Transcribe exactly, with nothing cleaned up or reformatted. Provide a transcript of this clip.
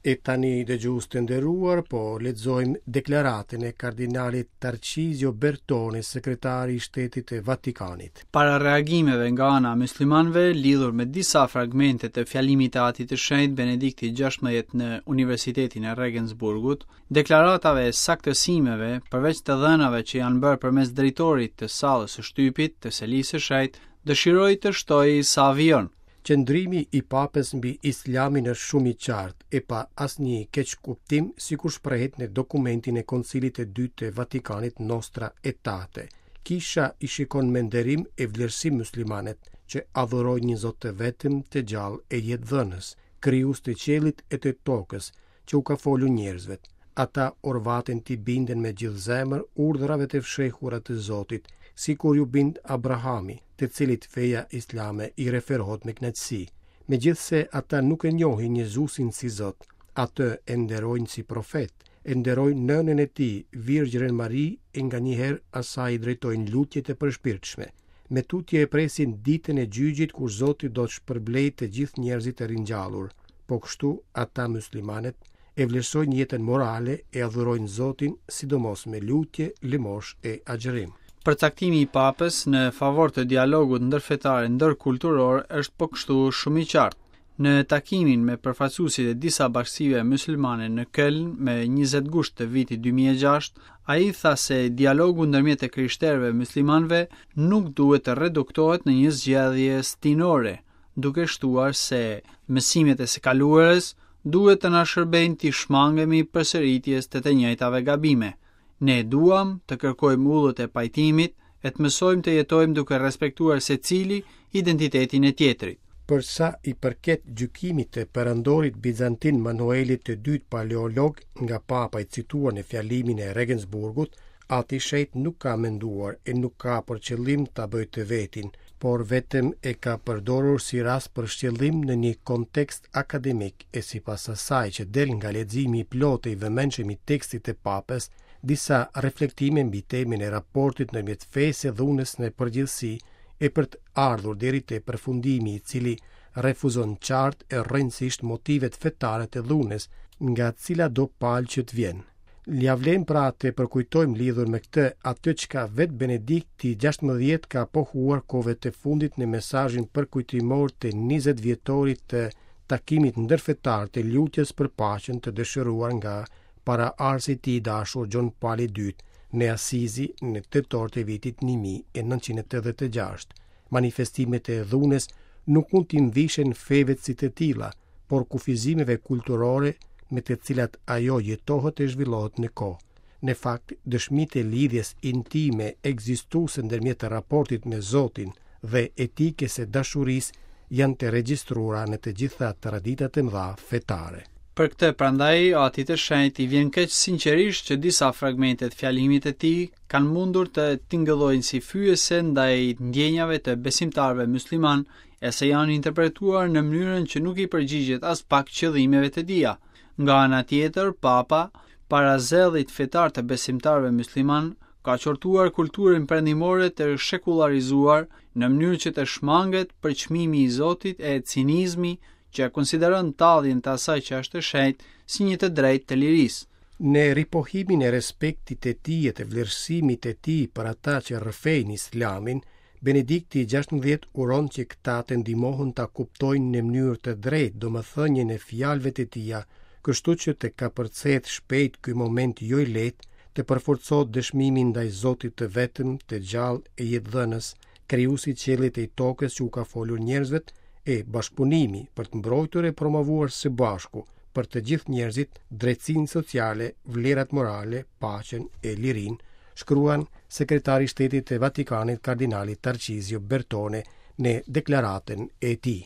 E tani, dëgjues të nderuar, po lexojmë deklaratën e kardinalit Tarcizio Bertone, sekretari i Shtetit të Vatikanit. Para reagimeve nga ana e muslimanëve lidhur me disa fragmente të fjalimit të Atit të Shenjtë Benedikti gjashtëmbëdhjetë në Universitetin e Regensburgut, deklaratave e saktësimeve, përveç të dhënave që janë bërë përmes drejtorit të sallës së shtypit të Selisë së Shenjtë, dëshiroj të shtoj sa vijon. Qëndrimi i Papës mbi Islamin është shumë i qartë e pa asnjë keqkuptim, sikur shprehet në dokumentin e Koncilit të Dytë të Vatikanit Nostra Aetate. Kisha i shikon me nderim e vlerësim muslimanët që adhurojnë një Zot të vetëm të gjallë e jetëdhënës, krijues të qiellit e të tokës, që u ka folur njerëzve. Ata orvaten t'i binden me gjithë zemër urdhrave të fshehura të Zotit, sikur ju bind Abrahami, të cilit feja islame i referohet me kënaqësi. Megjithëse ata nuk e njohin Jezusin si Zot, atë e nderojnë si profet, e nderojnë nënën e tij, Virgjërën Mari, e nganjëherë asaj i drejtojnë lutjet e përshpirtshme. Me tutje e presin ditën e gjyqit kur Zoti do të shpërblejë të gjithë njerëzit e ringjallur. Po kështu, ata muslimanët e vlerësojnë jetën morale e adhurojnë Zotin, sidomos me lutje, lëmosh e agjërim. Përcaktimi i Papës në favor të dialogut ndërfetar e ndërkulturor është po kështu shumë i qartë. Në takimin me përfaqësuesit e disa bashkësive muslimane në Köln me njëzet gusht të vitit dy mijë e gjashtë, ai tha se dialogu ndërmjet e krishterëve muslimanëve nuk duhet të reduktohet në një zgjedhje stinore, duke shtuar se mësimet e së kaluarës duhet të na shërbejnë të shmangemi përsëritjes të të njëjtave gabime. Ne duam të kërkojmë ullët e pajtimit e të mësojmë të jetojmë duke respektuar secili identitetin e tjetrit. Për sa i përket gjykimit të perandorit bizantin Manuelit të dytë paleolog nga papa i cituar në fjalimin e Regensburgut, Ati i Shenjtë nuk ka menduar e nuk ka për qëllim ta bëjë të vetin, por vetëm e ka përdorur si rast për shtjellim në një kontekst akademik e sipas asaj që del nga leximi i plotë i vëmendshëm i tekstit të papës, disa reflektime mbi temën e raportit ndërmjet fesë e dhunës në përgjithësi e për të ardhur deri te përfundimi i cili refuzon qartë e rrënjësisht motivet fetare të dhunës nga cila do palë që të vjen. Ja vlen pra të përkujtojmë lidhur me këtë atë çka vetë Benedikti gjashtëmbëdhjetë ka pohuar kohëve të fundit në mesazhin përkujtimor të njëzet vjetorit të takimit ndërfetar të lutjes për paqen të dëshiruar nga paraardhësi i tij i dashur Gjon Pali i dytë në Asizi në tetor të vitit një mijë e nëntëqind e tetëdhjetë e gjashtë. Manifestimet e dhunës nuk mund t'i mvishen feve si të tilla, por kufizimeve kulturore me të cilat ajo jetohet e zhvillohet në kohë. Në fakt, dëshmitë e lidhjes intime ekzistuese ndërmjet raportit me Zotin dhe etikës së dashurisë janë të regjistruara në të gjitha traditat e mëdha fetare. Për këtë prandaj Atit të Shenjtë i vjen keq sinqerisht që disa fragmente të fjalimit të tij kanë mundur të tingëllojnë si fyese ndaj ndjenjave të besimtarëve musliman e se janë interpretuar në mënyrën që nuk i përgjigjet as pak qëllimeve të tija. Nga ana tjetër, Papa, para zellit fetar të besimtarëve musliman, ka qortuar kulturën perëndimore të shekullarizuar në mënyrë që të shmanget përçmimi i Zotit e cinizmi që e konsideron talljen të asaj që është e shenjtë si një të drejtë të lirisë. Në ripohimin e respektit të tij e të vlerësimit të tij për ata që rrëfejnë Islamin, Benedikti gjashtëmbëdhjetë uron që këta të ndihmohen ta kuptojnë në mënyrë të drejtë domethënien e fjalëve të tija, kështu që të kapërcehet shpejt ky moment jo i lehtë, të përforcohet dëshmimi ndaj Zotit të vetëm, të gjallë e jetëdhënës, krijuesi i qiellit e i tokës që u ka folur njerëzve, e bashkëpunimi për të mbrojtur e promovuar së bashku për të gjithë njerëzit drejtësinë sociale, vlerat morale, paqen e lirinë, shkruan sekretari i Shtetit të Vatikanit kardinali Tarcizio Bertone në deklaratën e tij.